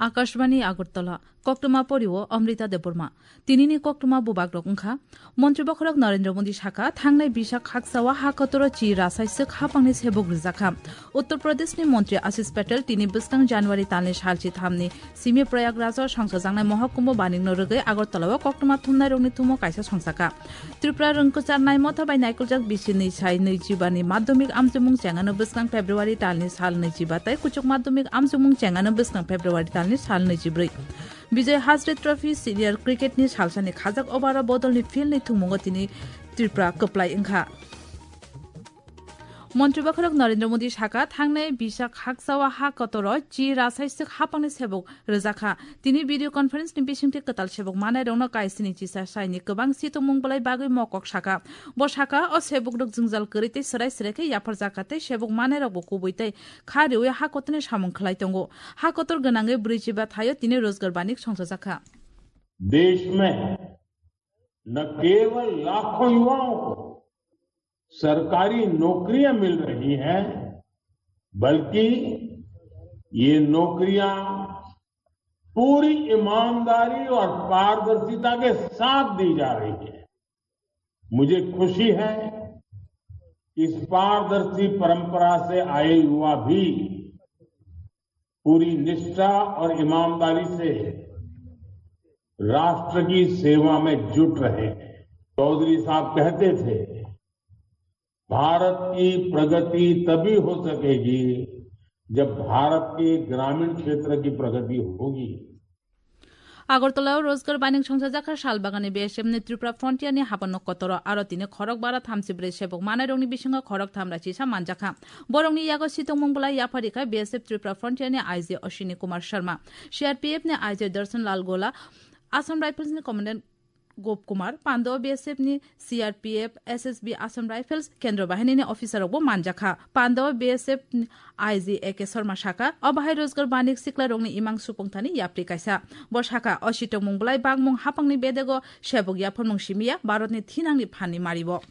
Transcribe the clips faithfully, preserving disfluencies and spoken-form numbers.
Akashbani Agartala, koktwma porio Amrita Debbarma. Tinini koktwma bubagrok wngkha, Montri bokhorok Narendra Modi sakha, thangnai Bisak haksao ha kotoro chi rasaiswk hapangni sebuk rwjakha. Uttar Pradeshni Montri Ashish Patel tini bwskang January talni salchi thamni simi Prayagraj-o songchajaknai Mohakumbho banikno rwgwi Agartala-o koktwma thumnairokni thumo kaisa songchakha. Tripura rwngkwchar naimotha bai naikoljak bisi nwi sai nwijiba ni madhyamik amchomung chengano bwskang February talni sal nwijiba tei kuchuk madhyamik amchomung chengano bwskang February talni sal nwijibrwi. Bijoy Hazare Trophy Senior Cricket ni salsani khajak over-o bodolni field ni thwngmungo tini Tripura kwplai wngkha. Montri bokhorok Narendra Modi sakha, thangnai Bisak haksao ha kotoro chi rasaiswk hapangni sebuk rwjakha. Tini video conference ni bisingtwi kwtal sebuk manairokno kaisini chisa saini kwbang sitongmung bwlai bagwi mokok sakha. Bo sakha, o sebukrok jwngjal kwrwi tei swrai swrai khe yapharjakha tei sebuk manairokbo kubui tei kha riwi ha kotorni samung khlai tongo. Ha kotor gwnangwi brwichiba thaio tini Rozgar Banik songchajakha. देश में न केवल लाखों युवाओं को सरकारी नौकरियां मिल रही हैं, बल्कि ये नौकरियां पूरी ईमानदारी और पारदर्शिता के साथ दी जा रही है। मुझे खुशी है, इस पारदर्शी परंपरा से आए युवा भी पूरी निष्ठा और ईमानदारी से राष्ट्र की सेवा में जुट रहे हैं। चौधरी साहब कहते थे, भारत की प्रगति तभी हो सकेगी, जब भारत के ग्रामीण क्षेत्र की प्रगति होगी। Agartala-o Rozgar Banik songchajakha salbagani B S F ni Tripura Frontier ni habanno kotoro aro tini khorok bara thamsi brwi sebuk manairokni bisingo khorok tham rachisa manjakha. Borokni yago sitongmung bwlai yapharikha B S F Tripura Frontier ni I G Ashwini Kumar Sharma, C R P F ni I G Darshan Lal Gola, Assam Rifles ni Commandant Gop Kumar, Pando B S F ni C R P F, S S B, Assam Rifles, Kendra Bahini ni officer rokbo manjakha. Pando B S F ni I G A K Sharma sakha, o bahai Rozgar Banik sikla rokni imang supung thani yapri kaisa. Bo sakha, o sitongmung bwlai bangmung hapangni bedego sebuk yapharmung simiya, Bharatni thinangni phanni maribo.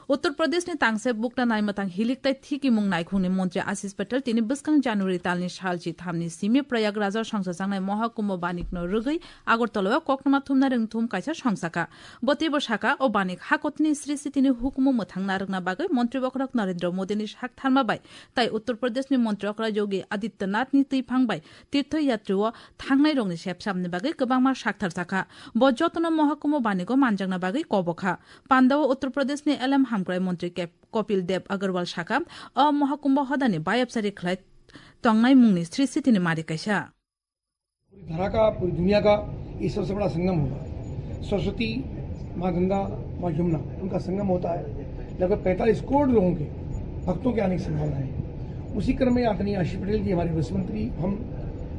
Uttar Pradeshni tangse bukna naimwthang hilik tei thikimung naikhungni montri Ashish Patel tini bwskang January talni salchi thamni simi Prayagraj-o songchajaknai Mohakumbho Banikno rwgwi Agartala-o koktwma thumnai rwngthum kaisa songchakha. Bo teibo sakha, o Banik hakotni sri sitini hukumu mwthang narwkna bagwi montri bokhorok Narendra Modini saktharma bai tei Uttar Pradeshni montri okra Yogi Adityanathni twiphang bai tirtho yatri-o thangnairokni sepsapni bagwi kwbangma saktharjakha. Bo jotono Mohakumbho Banigo manjakna bagwi kobokha. Pandao Uttar Pradeshni L M hamkrai montri Kep-, Kopil Dev Agarwal sakha, o Mohakumbho hodani bayapsari khlai tongnai mungni sri sitini mari kaisa. पूरी धरा का, पूरी दुनिया का ये सबसे बड़ा संगम होगा। सरस्वती, माँ गंगा, माँ यमुना, उनका संगम होता है। लगभग पैंतालीस करोड़ लोगों के, भक्तों के आने की संभावना है। उसी क्रम में आदरणीय आशीष पटेल जी, हमारे विश्व मंत्री, हम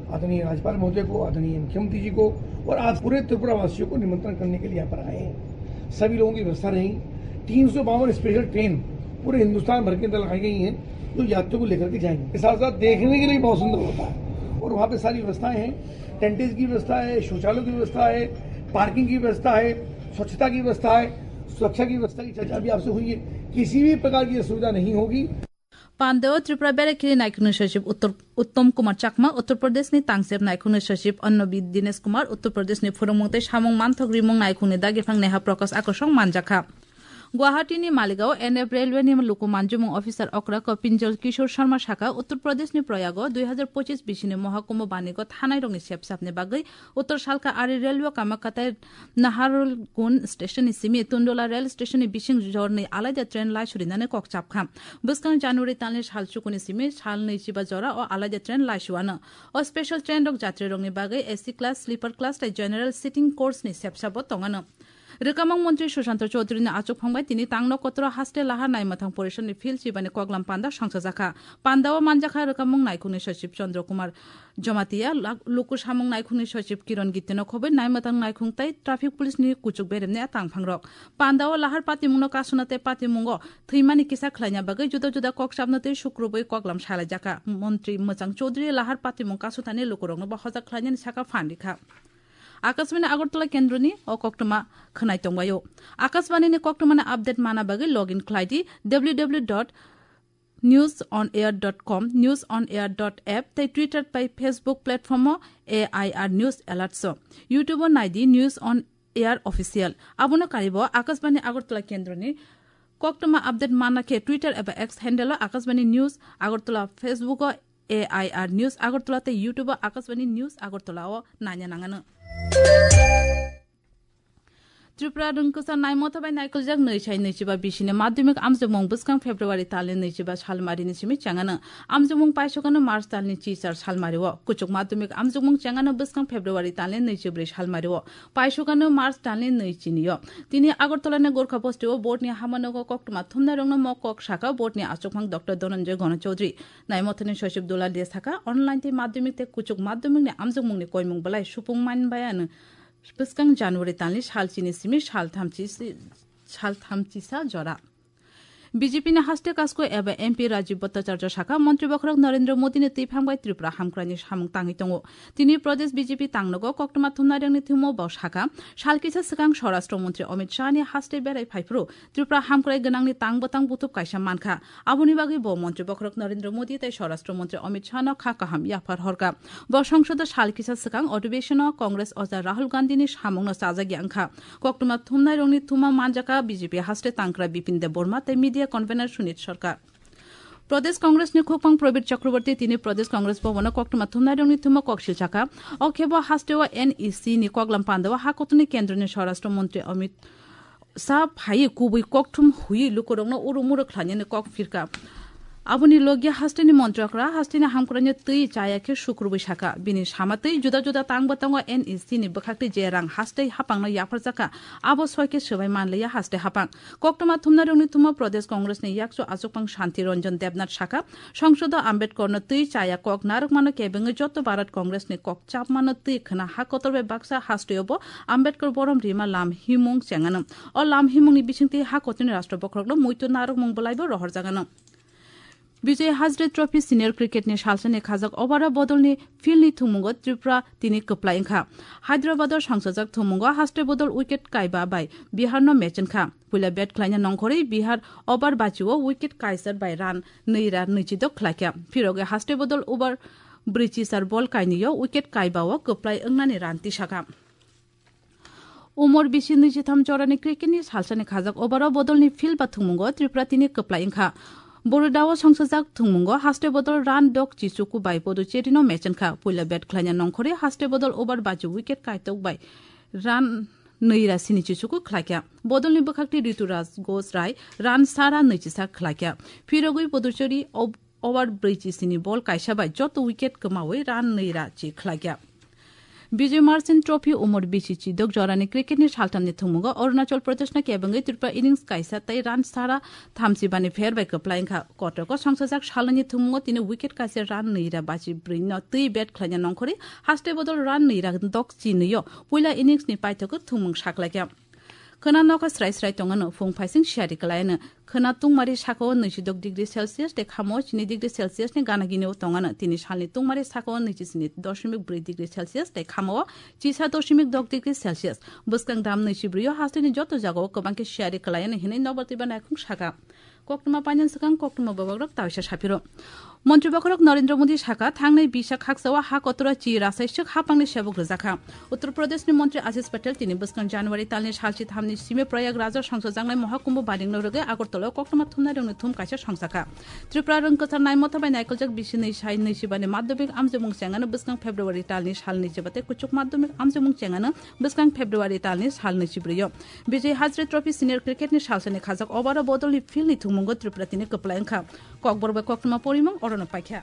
आदरणीय राज्यपाल महोदय को, आदरणीय मुख्यमंत्री जी को और आज पूरे त्रिपुरा वासियों को निमंत्रण करने के लिए यहाँ पर आए हैं। सभी लोगों की व्यवस्था रहेगी। तीन सौ बावन स्पेशल ट्रेन पूरे हिंदुस्तान भर के अंदर लगाई गई हैं, जो यात्रियों को लेकर के जाएंगे। इसके साथ साथ देखने के लिए बहुत सुंदर होता है और वहाँ पे सारी व्यवस्थाएं हैं, टेंटेज की व्यवस्था है, शौचालयों की व्यवस्था है, पार्किंग की व्यवस्था है, स्वच्छता की व्यवस्था है, सुरक्षा की व्यवस्था की चर्चा भी आपसे हुई है। किसी भी प्रकार की असुविधा नहीं होगी। Pandao Tripura Berekhili Naikhungni Sachib Uttor-, Uttom Kumar Chakma, Uttar Pradeshni Tangsep Naikhungni Sachib Annabi Dinesh Kumar, Uttar Pradeshni Phwrwngmung tei Samung Manthok Rimung Naikhungni Dagiphang Neha Prakash Akosong manjakha. Guwahati ni Maligaon N F Railway ni luku manjumung officer okra Kopinjal Kishore Sharma sakha, Uttar Pradesh ni Prayago dui hazar pochis bisini Mohakumbho Banigo thanai rokni sepsapni bagwi Uttar Salka Ari Railway Kamakhatai Naharlagun station ni simi Tundola rail station ni bising jorni alaida train laisurinani kok chapkha. Bwskang January talni sal chukuni simi sal nwichiba jora o alaida train laisuano. O special train rok jatri rokni bagwi A C class, sleeper class tei general sitting coach ni sepsabo tongano. Rwkamung montri Sushanta Chaudhary ni achukphang bai tini tangno kotoro haste lahar naimwthang porishad ni field chibani koklam panda songchajakha. Pandao manjakha rwkamung naikhungni sachib Chandra Kumar Jamatia, lak-, luku samung naikhungni sachib Kiran Gitino khobwi naimwthang naikhung tei traffic police ni kuchuk beremni a tangphangrok. Pandao lahar patimungno kasuna tei patimungo thwimani kisa khlaina bagwi juda juda kokchapno tei sukrubwi koklam salaijakha. Montri Mwchang Chaudhary lahar patimung kasutani lukurokno bo hojak khlainani saka phan rikha. Akashbani Agartala kendroni o koktwma khwnai tongbaio. Akashbani ni koktwmani update mana bagwi login khlai di W W W dot news on air dot com, news on air dot app tei Twitter bai Facebook platform o A I R News Alerts o. YouTube o naidi News on Air Official. Abono karibo Akashbani Agartala kendroni koktwma update manna khe Twitter eba X handle o Akashbani News Agartala, Facebook o A I R News Agartala tei YouTube o Akashbani News Agartala o naina nangano. Tripura rwngkwchar naimotha bai naikoljak nwi sai nwichiba bisini madhyamik amjokmung bwskang February talni nwichiba salmarini simi chengano. Amjokmung paisokano March talni chichar salmario. Kuchuk madhyamik amjokmung chengano bwskang February talni nwichibrwi salmario. Paisokano March talni nwi chinio. Tini Agartala ni Gorkha Bosti o board ni hamanogo koktwma thumnairokno mo kok saka board ni achukphang Doctor Dhananjay Gana Chaudhary. Naimothani Sochib Dulal de saka online tei madhyamik tei kuchuk madhyamik ni amjokmung ni koimung belai supung manbaiano. Bwskang January talni salchini simi salthamchi si-, salthamchisa jora. B J P ni haste kasko eba M P Rajiv Bhattacharya saka, Montri Bokhorok Narendra Modi ni twiphang bai Tripura hamkrai ni samung tangwi tongo. Tini Pradesh B J P tangnogo koktwma thumnairokni thwimo bo saka, sal kisa swkang Swarashtra Montri Amit Shah ni haste berai phaiphuru Tripura hamkrai gwnangni tang bwtang butup kaisa mankha. Aboni bagwi bo Montri Bokhorok Narendra Modi tei Swarashtra Montri Amit Shah no kha kaham yaphar horkha. Bo songsodo sal kisa swkang odhibeshon o Congress oja Rahul Gandhi ni samung no chajak ya wngkha. Koktwma thumnairokni thuma manjakha B J P haste tangkra Bipin Debbarma tei media convener Sunit Sarkar. Pradesh Congress ni khukpang Prabir Chakraborty tini Pradesh Congress Bhavan o koktwma thumnairokni thuma koksil chakha. O khebo haste o N E C ni koklam panda o ha kotorni kendroni Swarashtra Montri Amit Shah phaiwi kubui kokthum huiwi lukurokno uru muru khlainani kok phirkha. Aboni logia hasteni montrokra hasteni hamkraino twi chaya khe sukrubui sakha. Bini sama twi juda juda tangbo tongo N E C ni bwkhaktwi je rang hastei hapangno yapharjakha, abo soi khe swbai manliya hastei hapang. Koktwma thumnairokni thumo Pradesh Congress ni yakchu achukphang Shanti Ranjan Debnath sakha, Songsodo Ambedkarno twi chaya kok narwkmano kebengwi joto Bharat Congress ni kok chapmano twi khwna ha kotor bai baksa hasteo bo Ambedkar borom rima lam himung chengano. O lam himungni bisingtwi ha kotorni rashtra bokhorokno muitu narwkmung bwlaibo rohorjagano. Vijay Hazare Trophy Senior Cricket ni salsani khajak over o bodolni field ni thwngmungo Tripura tini kwplai wngkha. Hyderabad o songchajak thwngmungo haste bodol wicket kaiba bai Bihar no match wngkha. Puila bat khlaina nongkhorwi Bihar over bachi o wicket kaisa bai run nwi ra nwichidok khlaikha. Phirogwi haste bodol over brwichi sar ball kainwi o wicket kaiba o kwplai wngnani run tisakha. Umor bisi nwichitham jorani cricket ni salsani khajak over o bodolni field ba thwngmungo Tripura tini kwplai wngkha. Borudao songchajak thwngmungo haste bodol run dok chichuku bai Puducherry no match wngkha. Puila bat khlaina nongkhorwi haste bodol over bachi wicket kaitok bai run nwi ra sini chichuku khlaikha. Bodolni bwkhakti Rituraj Ghosh rai run sara nwichisa khlaikha. Phirogwi Puducherry ob-, over brwichi sini ball kaisa bai joto wicket kwmawi run nwi ra chi khlaikha. Bijoy Merchant Trophy umor bisi chidok jorani cricket ni salthamni thwngmungo Arunachal Pradesh no kebengwi Tripura innings kaisa tei run sara thamchi bani pher bai kwplai wngkha. Kotroko songchajak salnwini thwngmungo tini wicket kaisa run nwi ra bachi brwi no twi bat khlaina nongkhorwi haste bodol run nwi ra dok chi nwi o puila innings ni paithago thwngmung saklaikha. Khwna nokha srai srai tongano, phung phaising siyari kwlaiano. Khwna tungmari sakao nwichidok degree Celsius tei khamao chini degree Celsius ni gana ginio tongano. Tini salni tungmari sakao nwichi sini doshimik brwi degree Celsius tei khamao chisa doshimik dok degree Celsius. Bwskang dam nwichi brwi o hasteni joto jagao kwbang khe siyari kwlaiano hinwi Nobar Twiba naikhung sakha. Koktwma painani swkang koktwma bobokrok tawisa saphiro. Montri bokhorok Narendra Modi sakha, thangnai bisa khaksa o ha kotora chi rasai swk hapangni sebuk rwjakha. Uttar Pradeshni Montri Ashish Patel tini bwskang January talni salchi thamni simi Prayagraj o songsojaknai Mohakumbh baringno rwgwi Agartala o koktwma thumnairokni thum kaisa songchakha. Tripura rwngkwchar naimotha bai naikoljak bisi nwi sai nwi sibani madhyamik amjokmung chengano bwskang February talni sal nwi chiba tei kuchuk madhyamik amjokmung chengano bwskang February talni sal nwi chibrwi o. Vijay Hazare Trophy Senior Cricket ni salsani khajak over o bodolni field ni thwngmungo Tripura tini kwplai wngkha. Kokborok bai koktwma porimung orono paikha.